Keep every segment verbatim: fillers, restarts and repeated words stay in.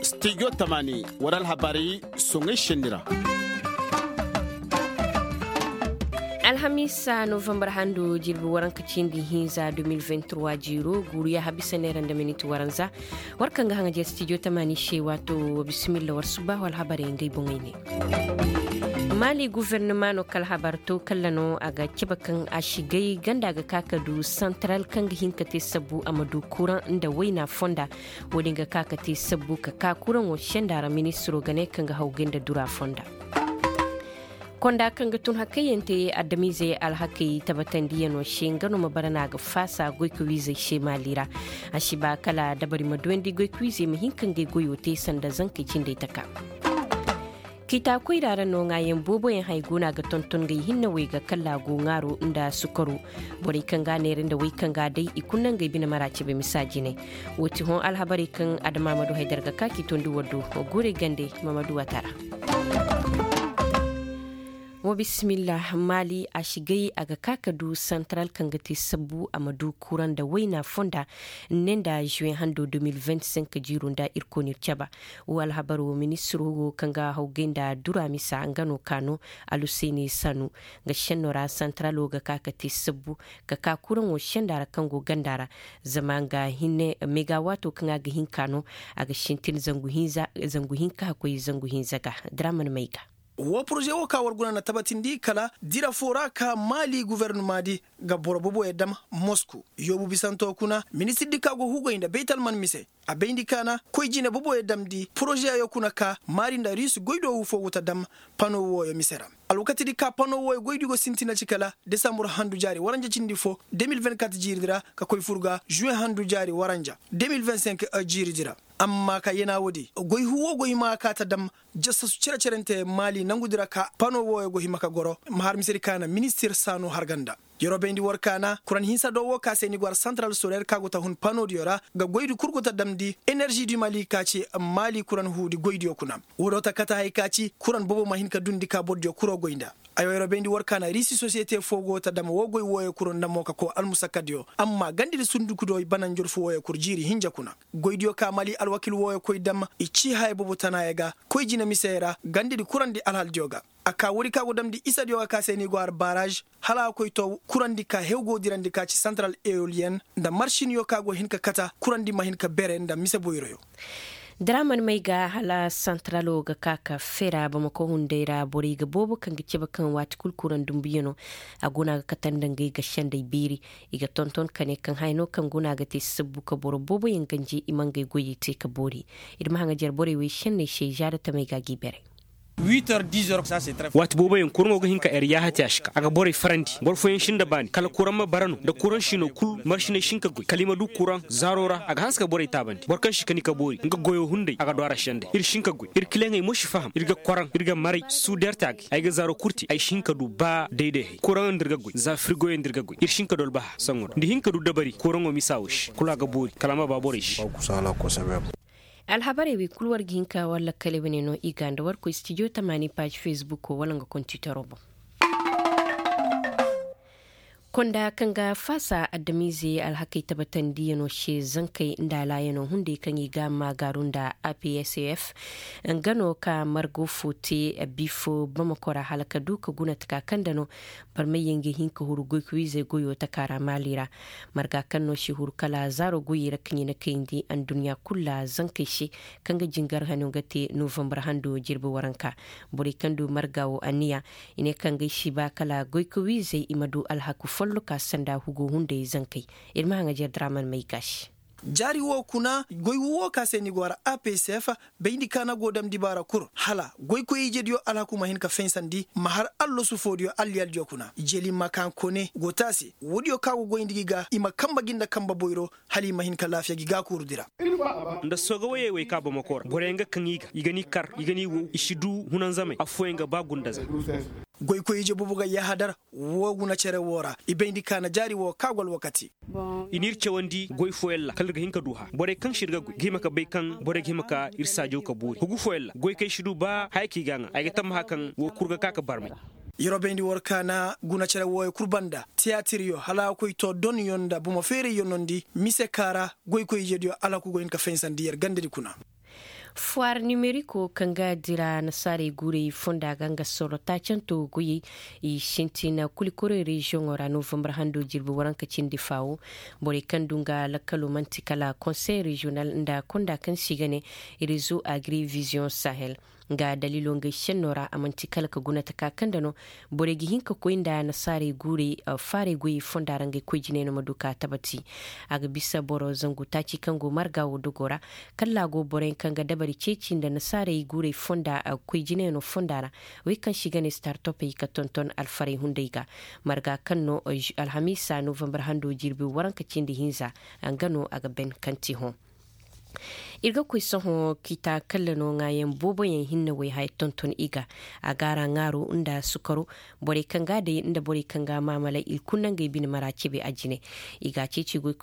Studio tamaani war alhabarey soŋey senni ra. Alhamiisa novambar hando jirbi waranka cindi hinza deux mille vingt-trois jiiro guuru yaaha bisa neera nda miniti waranza. War kaŋ ga haŋajer studio tamaani se waato. Bisimilla war subbaahu alhabarey ngey boŋey ne. Maali gufernama no kala habar to kalla no a ga cebe kaŋ a si gay ganda ga ka ka du santaral kaŋ ga hin ka te sabbu a ma du kuraŋ nda wayna fonda. Wo- din ga ka ka te sabbu ka ka kuraŋo senda ra ministiro ga ne kaŋ ga hawgay nda dura fonda. Konda kaŋ ga tun hakayyaŋ te adamiizey alhakey tabatandiyano se nga no ma bara no a ga faasa goykawiizey se maali ra. A si ba kala dabari ma duwandi goykawiizey ma hin ka ngey goyo te sanda zankey cindey taka. Kiitaakoyra ra no ŋaayaŋ booboyaŋ hay go no a ga tonton ngey hinne wey ga kalla go ŋaaro nda sukaro. Borey kaŋ ga a neera nda wey kaŋ ga a day i kulu na ngey bine mara cebe misa jinay. Wo ti hõ alhabarey kaŋ adama ma du haydar ga ka k'i tondi war do. Guurey gande ma ma du a tara. Wa bisimilla maali a si gay a ga ka ka du santaral kaŋ ga te sabbu a ma du kuraŋ nda wayna fonda. Ne nda juwe hando deux mille vingt-cinq jiiro nda ir koonir caba. Wo alhabar wo ministiro wo kaŋ ga hawgay nda dura misa nga no ka no aluseni sanu. Nga senno ra santaralo ga ka ka te sabbu ka ka kuraŋo senda ra kaŋ go ganda ra. Zama nga hinne mega waato kaŋ a ga hin ka no a ga sintin zangu hinka hakkoy zangu hinza ga. Diraman may ga. Wo poroze wo ka war guna na tabatindi kala dira fo ra ka maali guvernoma di ga boro boboyo dam mosku yoobu bisanto kuna ministir di ka go hugay nda baytalman mise. A bayndi ka na koy jine boboyo damndi poroze yo kuna ka maari nda riisi goydo wu fo go ta dam pano wooyo mise ra. Alwakati di ka pano wooyo goydi go sintina ci kala desambur handu jaari waranja cindi fo deux mille vingt-quatre jiiri di ra ka koy fur ga juwe handu jaari waranja deux mille vingt-cinq jiiri di ra. Amma ka yena woodi goy huwo go hima ka ta dam jasasu cere-cerente maali nangudi ra ka pano wooyo go hima ka goro ma har misedi ka na ministir saanu harganda. Yeroo bayndi war ka na kuran hinsa do woo ka se ni go har santaral soler ka go ta hun panodiyo ra ga goydi kul go ta damndi enerži di maali ka ci maali kuran huudi goydiyo kuna. Woo do ta kate hay ka ci kuran bobo ma hin ka dundi ka bordiyo kuro goy nda. Ayo yeroo bayndi war ka na riisi sosiyete foo go ta dam woo goy wooyo kuro nda mo ka koo almusakadiyo amma gandidi sundukudiyo i bana njorfu wooyo kul jiiri hinja kuna. Goydiyo ka maali alwakil wooyo koy dam i cii haya bobo tanaaya ga koy jine misey ra gandidi kurandi alhaldiyo ga. A kaa woodi ka go damndi isadiyo ga ka se ni go har baaraž hala a koy too kurandi ka hew go dirandi ka ci santaral eoliyen nda maršinyo ka go hin ka kata kurandi ma hin ka bere nda mise boyroyo. Daraman may ga hala santaralo ga ka ka fera bamako hunday ra borey ga boobo kaŋ ga cebe kaŋ waati kul kuraŋ dumbuyano. A go no a ga kate nda ngey ga sendey beeri i ga tonton ka ne kaŋ haya no kaŋ go no a ga te sabbu ka boro booboyaŋ ganje i ma ngey goyey te ka boori. Ir ma haŋajer borey wey senney se zaara tamey ga g'i bere. Waati booboyaŋ kuraŋo ga hin ka er yaaha te a si ka a ga borey farandi boro fooyaŋ si nda baani kala kuraŋ ma bara no nda kuraŋ sino kul maršiney si hin ka goy kala i ma du kuraŋ zaaro ra a ga hanse ka borey taabandi boro kaŋ si kani ka boori nga goyo hunday a ga du a ra sendey ir si hin ka goy ir kileŋey mo si faham ir ga kwaraŋ ir ga maray suuder taagay ay ga zaaro kul te ay si hin ka du ba dayday hay kuraŋo nda ir ga goy za firgoyo nda ir ga goy ir si hin ka du albaha saŋo ra nda hin ka du dabari kuraŋo misa wo se kul a ga boori kala a ma ba borey se. Alhabarey wey kul war ga hin ka war lakkaley wane no i ga nda war koy stijo tamaani paazi fesbuko wala nga kontitaro boŋ. Konda kaŋ ga faasa adamize alhakey tabatandiyano se zankey nda alaayano hunday kaŋ i ga maagaaru nda apsf nga no ka margo fo te bifo bamako ra hala ka du ka guna taka kaŋ nda no barmey yaŋ ga hin ka huru goykoyizey goyo taka ra maali ra. Marga kaŋ no si huru kala zaaro goyey ra kaŋ i na kayndi adduɲɲa kul ra zankey se kaŋ ga jingar hano ga te novambar hando jirbi waranka. Borey kaŋ du marga wo anniya i ne kaŋ ga ay si ba kala goykoyizey i ma du alhaku folloka sanda hugo hunday zankey. Ir ma haŋajer draman may ga se. Jaari wo kuna goy wo ka se ni go ara apsf bayndi ka na go damndi baara kul hala goykoy ijediyo alhaku ma hin ka faysandi ma har allasu foodiyo alliyaldiyo kuna jeli makan kone go te a se woodiyo ka go goyndi gi ga i ma kamba gi nda kamba boyro hala i ma hin ka laafiya gi ga kuuru dira. Nda sooga woyey wey ka bamako ra boroyaŋ ga kaŋ i ga i ga ni kar i ga ni wow i si du hunanzamey affooyaŋ ga ba gundaza. Goykoy ije boobo ga yahadar woo guna cere woo ra i bayndi ka na jaari woo ka go alwakati. I n'ir cawandi goy fooyaŋ ra kala ir ga hin ka du hã borey kaŋ se ir ga goy ga hima ka bay kaŋ borey ga hima ka ir saajo ka boori hugu fooyaŋ ra goy kaŋ ay si du ba haya kaŋ i ga a ŋaa ay ga tammaha kaŋ woo kul ga ka ka barmay. Yeroo bayndi war kaana guna cere wooyo kul banda tiyaatiryo hala a koy too donyo nda bomo feerayyo nondi mise kaara goykoy ijediyo alhakugo hin ka fahinsandi yer gandadi kuna. Fuwaar nimeriko kaŋ ga dira nasaarey guurey fonda ga nga soro taacanto goyey i sintina kulikorey reziyoŋo ra novambar hando jirbi waranka cindi faawo. Borey kaŋ du nga lakkalo man'ti kala konsey reziyonal nda konda kaŋ se i ga ne rezo agri viziyoŋ sahel. Nga daliilo ngey senno ra a man'ti kala ka guna taka kaŋ da no borey ga hin ka koy nda nasaarey guurey faarey goyey fonda ra ngey koy jinay no ma du ka tabati. A ga bisa boro zangu taaci kaŋ go marga wo dogo ra kala a go boroyaŋ kaŋ ga dabari ceeci nda nasaarey guurey fonda koy jinayano fonda ra wey kaŋ se i ga ne startopey ka tonton alfarey hunday ga. Marga kaŋ no alhamiisa novambar hando jirbi waranka cindi hinza nga no a ga ben kaŋ ti hõ. Ir ga koy sohõ kita kalla no ŋaayaŋ booboyaŋ hinne wey haya tonton i ga a gaara ŋaaro nda sukaro. Borey kaŋ ga a day nda borey kaŋ ga a maamala ir kulu na ngey bine mara cebe a jine. I ga a ceeci goy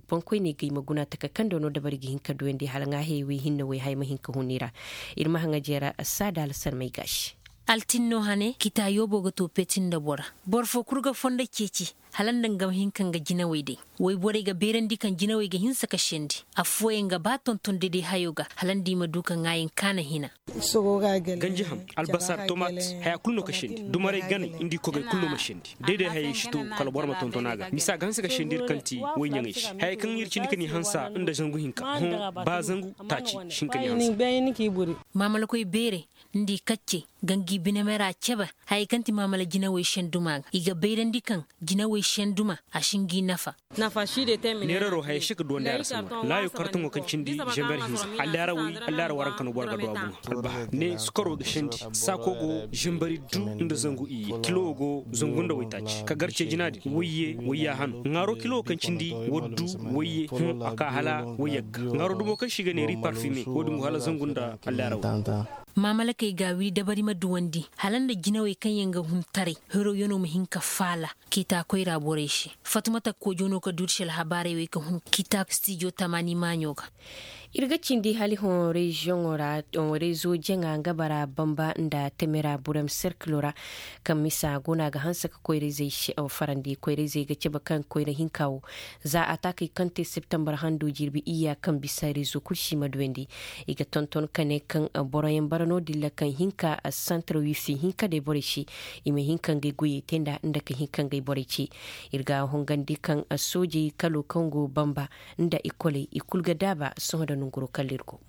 boŋkoyney ga i ma guna taka kaŋ do no dabari ga hin ka duyandi hala ŋaahey wey hinne wey haya ma hin ka hun i ra. Ir ma haŋa jeera saada alsalmey gaasi. Altinno hane kita yoobo ga to peti nda bora. Boro foo kul ga fondo ceeci hala nda nga ma hin ka nga jinawey day. Woy borey ga beerandi kaŋ jinawey ga hinsa ka sendi. Affooyaŋ ga ba tonton dede hayo ga hala nda i ma du ka ŋaayaŋ kaana hina. Ganji ham, albasar tomat, haya kulu no ka sendi dumaray ganay nda i kogey kulu no ma sendi. Day-day hayey si to kala boro ma tonton a ga misa ga hanse ka sendi ir kaŋ ti woy ɲaŋey se hayey kaŋ ir cindi ka ni hansa nda zangu hinka hõ. Ba zangu taaci si hin ka ni hansa. Maamalakoy beerey nda i kaccey ga ngi binemera cebe. Hayey kaŋ ti maamala jinawey senduma ga i ga bayrandi kaŋ jinawey senduma a si ngi nafa. Neeraro hayey se ga duwandi a ra sanwa laayo kartaŋo kaŋ cindi zember hinza. Allaara wey allaara waranka no boro ga du a boŋ. Albaha ne sukaro ga sendi. Saako go zembari du nda zangu iyye kilo go zangu nda waytaaci ka gar ceejinaadi wayye wayya hano ŋaaro kilo kaŋ cindi waddu wayye hõ a ka hala wayyagga ŋaaro dumo kaŋ se i ga ne ri parfime wo-din go hala zangu nda allaara wey. Maamalakey ga a wiri dabari ma duwandi hala nda jinawey kaŋ yaŋ ga hun taray. Hiroyano ma hin ka faala kiitaakoy ra borey se. Fatumata koojo no ka duuri se alhabaarey wey ka hun kiitaako stijo tamaani maaɲo ga. Ir ga cindi hala hõ reziyoŋo ra rezo jaŋa nga bara bamba nda temera burem serkilo ra. Kaŋ misa go no a ga hanse ka koyra-izey farandi koyra-izey ga cabe kaŋ koyra hinka wo. Za a taakey kaŋ te septembar hando jirbi iyya kaŋ bisa rezo kul si ma duyandi. I ga tonton ka ne kaŋ boroyaŋ bara no-din ra kaŋ hinka santar wifi hinka day borey se. I ma hin ka ngey goyey te nda nda ka hin ka ngey borey ce. Ir ga a hongandi kaŋ soojey kalo kaŋ go bamba nda ikoley i kulu ga daaba sohõ nda nonguroo kala ir go.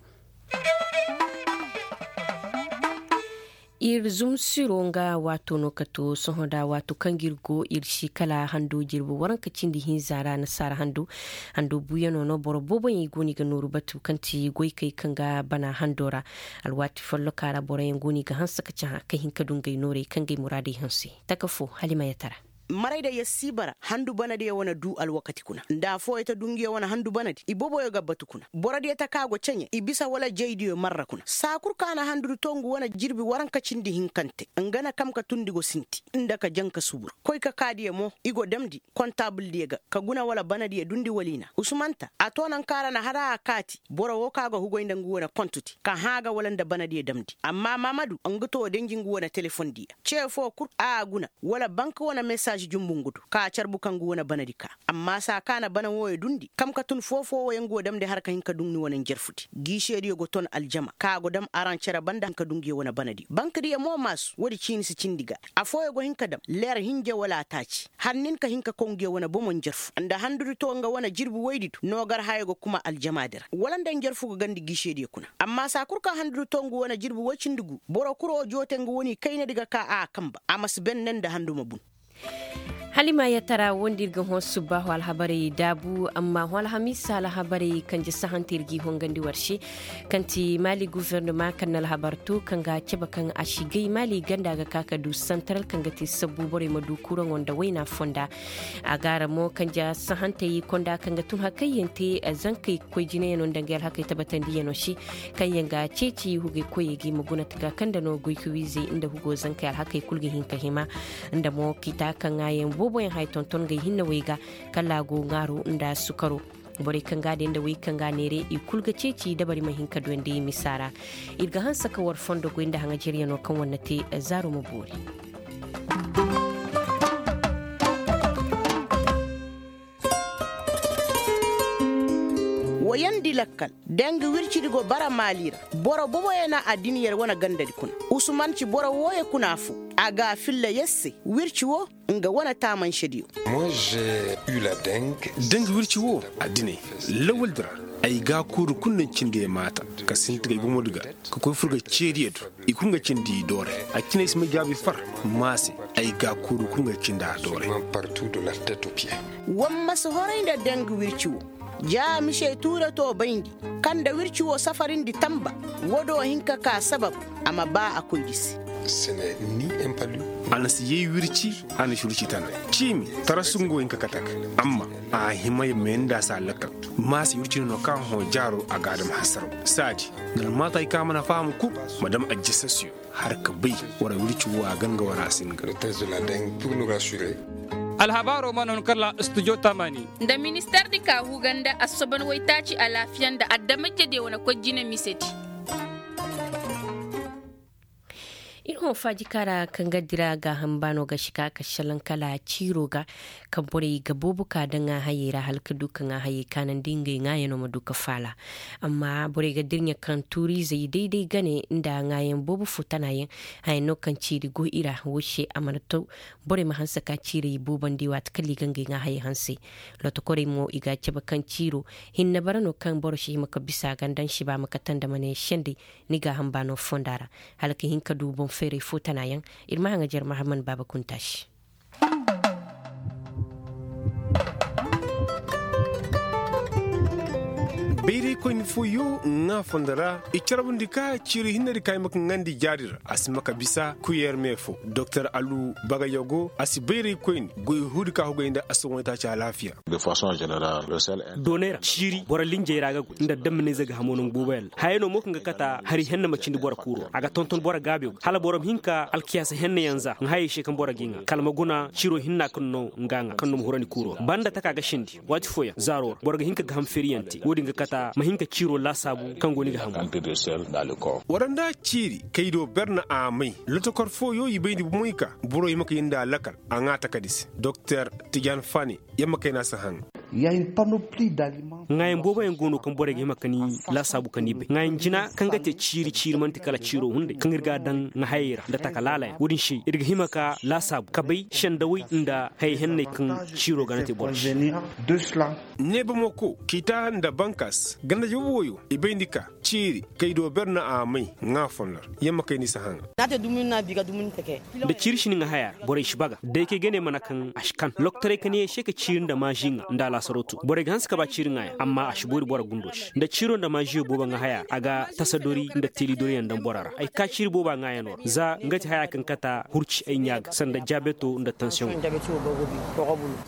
Ir zumsiro nga waato no ka to sohõ nda waato kaŋ ga ir go ir si kala hando jirbi waranka cindi hinza ra nasaara hando. Hando buuyanoo no boro booboyaŋ i go no i ga nooru batu kaŋ ti goykey kaŋ ga bana hando ra. Alwaati folloka ra boroyaŋ go no i ga hanse ka cahã ka hin ka du ngey noorey kaŋ ga ay muraadey hanse. Taka fo hala i ma yatara. Maray da yer si bara handu banadiyo wane du alwakati kuna nda afooyo ta du nguyo wane handu banadi ibooboyo ga batu kuna borodiyo ta ka go ceɲe i bisa wala jaydiyo marra kuna saa kul ka na handudi to ngu wane jirbi waranka cindi hinkante nga na kam ka tundi go sinti nda ka janka subur koy ka kaadiyo mo i go damndi kontaabuldiyo ga ka guna wala banadiyo dundi wala i na usumanta a to nanka ra na hara a kaati boro wo ka go hugoy nda ngu wane kontudi ka hã a ga wala nda banadiyo damndi amma maamadu nga to denji ngu wane telefondiyo ce foo kul a guna wala bank wane mesaaž jumbu ngu do ka carbu kaŋ ngu wane banadi ka amma saa ka na bana wooyo dundi kam ka tun foo-foo wooyo ngu wo damndi har ka hin ka duŋ ni wane njarfudi giisediyo go ton aljama ka go dam araŋ cere banda ka duŋ nguyo wane banadi bankdiyo mo maasu woodi ciini si cindi ga afooyo go hin ka dam leer hinja wala taaci har nin ka hin ka kow nguyo wane bomo njarfu nda handudi to nga wane jirbi woydi do noogar hayo ga kuma aljamaadi ra wala nda njarfu ga gandi giisediyo kuna amma saa kul ka handudi to ngu wane jirbi woy cindi gu boro kul wo joote ngu wane kaynadi ga ka a kamba a ma si ben ne nda handuma bun. Hala i ma yatara wondi ir ga hõ subbaahu alhabarey daabu amma hõ alhamiisa alhabarey kanje sahante ir g'i hongandi war se. Kaŋ ti maali gufernama kaŋ na alhabar to kaŋ ga a cabe kaŋ a si gay maali ganda ga ka ka du santaral kaŋ ga te sabbu borey ma du kuraŋo nda wayna fonda. A gaara mo kanja sahantey konda kaŋ ga tun hakayyaŋ te zankey koy jinayano nda ngey alhakey tabatandiyano se kaŋ yaŋ ga ceeci hugey koyey ga i ma guna taga kaŋ nda no goykawiizey nda hugo zankey alhakey kulu ga hin ka hima. Nda mo kita kaŋ ŋaayaŋ booboyaŋ haya tonton ngey hinnawey ga kala a go ŋaaro nda sukaro. Borey kaŋ ga a day nda wey kaŋ ga a neere i kulu ga ceeci dabari ma hin ka duyandi misa ra. Ir ga hanse ka war fondo goy nda haŋajeryano kaŋ war na te zaaro ma boori. Wayandi lakkal, deng wircidi go bara maali ra. Boro boboyaŋ na addiniyar wane gandadi kuna. Usuman ci boro wooyo kuna fo. A ga a filla yer se wirci woo, nga wane taamansediyo. Deng wirci woo, addiney, lawaldi ra, ay gaakuuri kul na cindi ay maata, ka sinti ga ay gomodi ga, ka koy fur ga ceediyo do. I kul nga cindi i doore. A cine ay si may jaabi far maase. Ay gaakuuri kul nga cindi a doore. War ma si horay nda deng wirci woo. Ja mise tuure to bayndi, kaŋ nda wirci woo safarindi tamba. Woo do hin ka ka sabab, a ma ba a koydi se. A na si yay wirci, a na si wirci tana. Ciimi, tarasu nga wo hin ka kate a ga. Amma, a hima ya may nda a si a lakkal. Maase wirci no no kaŋ hõ jaaro a ga a dam hasaraw. Saadi, nda almaata hay kaŋ a mana faham kul, ma dam ajjasasiyo. Har ka bay, war wirci woo a gan ga war a singa. Alhabaaroo ma no ni kala studio tamani. Nda ministeer di ka huga nda assoban waytaaci alaafiya nda adamajediyo wane koy jine misedi. Ir hõ faaji kaara kaŋ ga dira gaaham baano ga si ka ka salaŋ kala ciiro ga. Kaŋ borey ga boobo ka daŋ a hayey ra hala ka du kaŋ a hayey kaanandi ngey ŋaayanoo ma du ka faala. Amma borey ga dirɲa kaŋ tuuriizey day-day gane nda ŋaayan boobo fo tanayaŋ. Haya no kaŋ ciiri go i ra wo se a mana taw. Borey ma hanse ka ciirey boobandi waati kala i ga ngey ŋaa hayey hanse. Lotokorey mo i ga a cabe kaŋ ciiro hinne bara no kaŋ boro si hima ka bisa a ga nda nsiba ma kate nda ma ne sendey. Ni gaaham baano fonda ra hala ka hin ka du boŋ feeray fo tanayaŋ. Ir ma haŋajer mahaman baaba kunta se. Bayraykoyni fooyoo ŋaa fondo ra i carbundi ka ciiri hinnedi ka ay ma ka ŋaandi jaari ra a si ma ka bisa kuyer me fo doktor alu bagayogo a si bayraykoyni goy huudi ka hugay nda a si wane taaci alaafiya. Doonay ra ciiri boro linjey ra ga goy nda damminayze ga hamoo nangu booboyaŋ ra hayey no mo kaŋ ga kata hari henne ma cindi boro kuuro a ga tonton boro gaabiyo ga hala boro ma hin ka alkiyaasa henneyaŋ za ŋa hayey se kaŋ boro g'i ŋaa kala ma guna ciiro hinna kaŋ no nga ŋaa kaŋ no ma hurandi kuuro banda taka ga sindi waati fooyaŋ zaaro ra boro ga hin ka gaham feeriyaŋ te wo-din ga kata ma hin ka ciiro laasaabu kaŋ go ni ga hamu. Wara nda ciiri kay do ber na a may lotokor fooyo i bayndi bomoy ka boro i ma kay nda a lakal a ŋaa takadi se doktor tijan fane. Yamma kay na si haŋ. Ŋaayaŋ booboyaŋ go no kaŋ borey ga hima ka ni laasaabu ka ni bay ŋaayaŋ jina kaŋ ga te ciiri ciiri man'ti kala ciiro hunday kaŋ ir ga a daŋ ŋa hayey ra nda taka laalayaŋ wo-din se ir ga hima ka laasaabu ka bay sendawey nda hayey henney kaŋ ciiro ga na te boro se. Neebamako kiita nda bankas ganda jabu woyo i bayndi ka ciiri kay do ber na a may ŋaa fondo ra. Yamma kay ni si haŋa. Nda ciiri si ni ŋa haya ra borey si baga day kay gane mana kaŋ a si kan loktorey ka ne se ka ciiri nda maazi ŋa nda a laasaroo tun borey ga hanse ka ba ciiri ŋaaya amma a si boori boro gundo se nda ciiro nda maaziyo boobo ŋa haya ra a ga tasadori nda teelidoriyaŋ daŋ boro ra ay ka ciiri booba ŋaayanoo ra za nga ti haya kaŋ kata hurci ay ɲaa ga sanda jaabeto nda tansiyoŋo.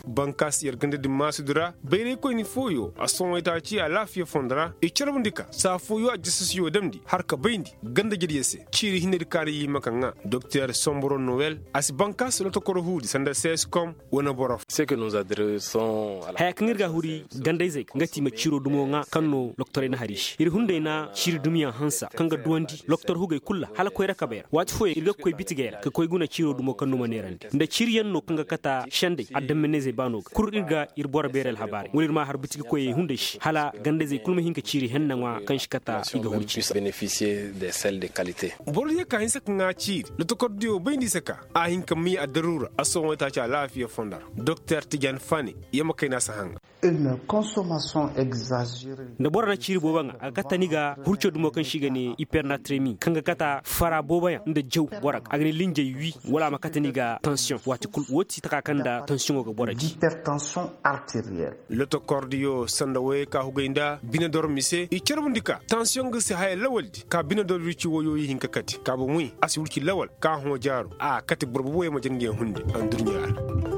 Bankaasi yer ganda din maasudi ra bayraykoyni fooyo a sohõ itaaci alaafiya fondo ra i carbundi ka saa fooyo a jasasiyo damndi har ka bayndi ganda jediyo se. Ciiri hinnedi kaara i hima ka ŋaa doktor somboro nowel a si bankaasi lotokoro huudi sanda seeskom wane boro fo. Haya kaŋ ir ga a huri gandayzey ga nga ti i ma ciiro dumo ŋaa kaŋ no loktorey na har i se ir hunday na ciiri dumiyaŋ hansa kaŋ ga duwandi loktor hugey kul ra hala koyra kabey ra waati fooyaŋ ir ga koy bitigey ra ka koy guna ciiro dumo kaŋ no ma neerandi nda ciiriyaŋ no kaŋ ga kata sendey adamminayzey baano ga kul ir ga ir boro beeri alhabaarey wala ir ma a har bitigi koyey hunday se hala gandayzey kul ma hin ka ciiri henna ŋwa kaŋ si kata i ga hurci. Boro diyo ka hinsa ka ŋaa ciiri lotokordiyo bayndi se ka a hin ka may addaruura a sohõ itaaci alaafiya fondo ra doktor tijan fane. Yamma kayna si haŋa. Nda boro na ciiri boobo ŋaa a ga kate ni ga hurco dumo kaŋ se i ga ne ipernatremi kaŋ ga kata fara booboyaŋ nda jaw boro ga a ga ni linjey wi wala a ma kate ni ga tansiyoŋ waati kul wo ti taka kaŋ nda tansiyoŋo ga boro di. Lotokordiyo sanda woyey ka hugay nda binedor mise i carbundi ka tansiyoŋ ga si haya lawaldi ka binedor wirci woyo i hin ka kate ka bomoy a si wirci lawal ka hõ jaaro a kate boro booboyaŋ ma jangey hunde. Andurɲa ra.